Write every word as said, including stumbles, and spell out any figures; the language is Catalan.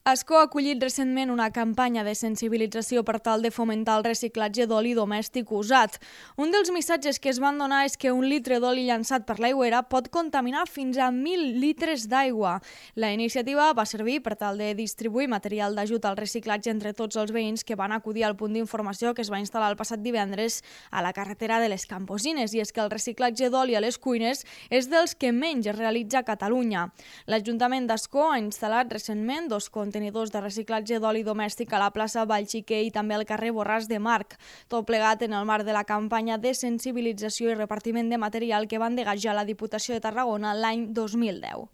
Ascó ha acollit recentment una campanya de sensibilització per tal de fomentar el reciclatge d'oli domèstic usat. Un dels missatges que es van donar és que un litre d'oli llançat per l'aigüera pot contaminar fins a mil litres d'aigua. La iniciativa va servir per tal de distribuir material d'ajut al reciclatge entre tots els veïns que van acudir al punt d'informació que es va instal·lar el passat divendres a la carretera de les Camposines, i és que el reciclatge d'oli a les cuines és dels que menys es realitza a Catalunya. L'Ajuntament d'Ascó ha instal·lat recentment dos contenidors de reciclatge d'oli domèstic a la plaça Vallxiquer i també al carrer Borràs de Marc, tot plegat en el marc de la campanya de sensibilització i repartiment de material que va endegar ja la Diputació de Tarragona l'any dos mil deu.